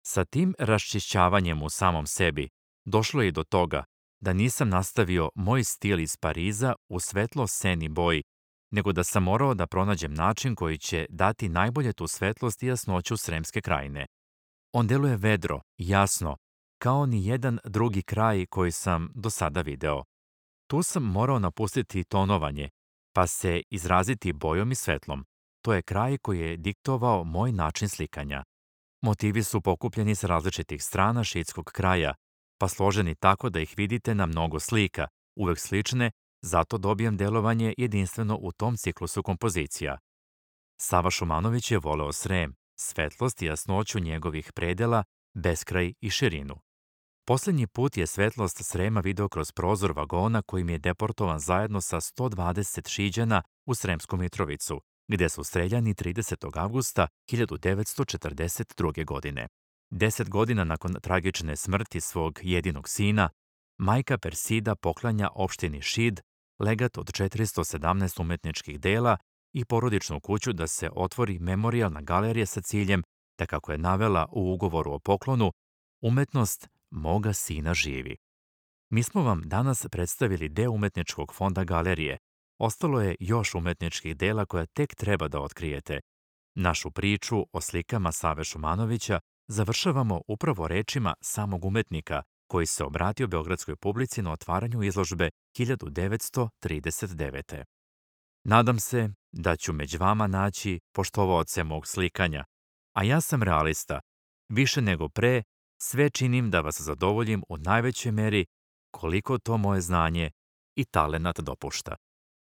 Sa tim raščišćavanjem u samom sebi došlo je i do toga da nisam nastavio moj stil iz Pariza u svetlo-seni boji, nego da sam morao da pronađem način koji će dati najbolje tu svetlost i jasnoću Sremske krajine. On deluje vedro, jasno, kao ni jedan drugi kraj koji sam do sada video. Tu sam morao napustiti tonovanje, pa se izraziti bojom i svetlom. To je kraj koji je diktovao moj način slikanja. Motivi su pokupljeni sa različitih strana šiitskog kraja, pa složeni tako da ih vidite na mnogo slika, uvek slične, zato dobijam delovanje jedinstveno u tom ciklusu kompozicija. Sava Šumanović je voleo Srem, svetlost i jasnoću njegovih predela, beskraj i širinu. Poslednji put je svetlost Srema video kroz prozor vagona kojim je deportovan zajedno sa 120 Šiđana u Sremsku Mitrovicu, gde su streljani 30. avgusta 1942. godine. 10 godina nakon tragične smrti svog jedinog sina, majka Persida poklanja opštini Šid legat od 417 umetničkih dela i porodičnu kuću da se otvori memorijalna galerija sa ciljem da, kako je navela u ugovoru o poklonu, umetnost moga sina živi. Mi smo vam danas predstavili deo umetničkog fonda galerije. Ostalo je još umetničkih dela koja tek treba da otkrijete. Našu priču o slikama Save Šumanovića završavamo upravo rečima samog umetnika koji se obratio beogradskoj publici na otvaranju izložbe 1939. Nadam se da ću među vama naći poštovaoce mog slikanja, a ja sam realista. Više nego pre, sve činim da vas zadovoljim u najvećoj meri koliko to moje znanje i talenat dopušta.